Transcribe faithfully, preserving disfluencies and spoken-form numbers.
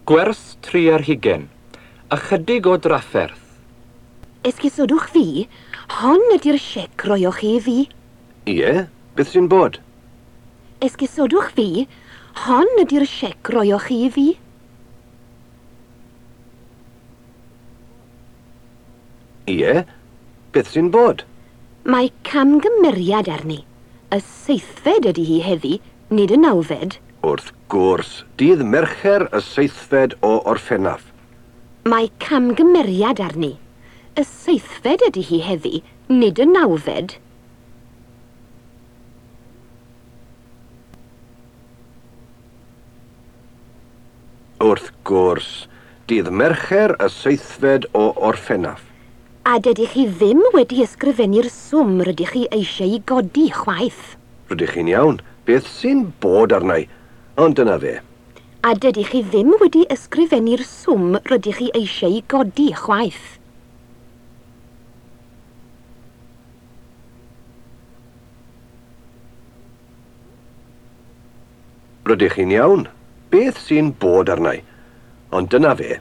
Gwers tri ar hugain. Ychydig o drafferth. Esgusodwch fi, hon ydy'r siec roioch chi i fi. Ie, beth sy'n bod? Esgusodwch fi, hon ydy'r siec roioch chi i fi. Ie, beth sy'n bod? Mae camgymeriad arni. Y seithfed ydy hi heddi, nid y nawfed. Wrth gwrs, dydd Mercher y seithfed o Orffennaf. Mae camgymeriad arni. Y seithfed ydy hi heddi, nid y nawfed. Wrth gwrs, dydd Mercher y seithfed o Orffennaf. A dydych chi ddim wedi ysgrifennu'r swm rydych chi eisiau ei godi chwaith. Rydych chi'n iawn. Beth sy'n bod arna i? Ond dyna fe. A dydych chi ddim wedi ysgrifennu'r swm rydych chi eisiau ei godi chwaith. Rydych chi'n iawn. Beth sy'n bod arna i? Ond dyna fe.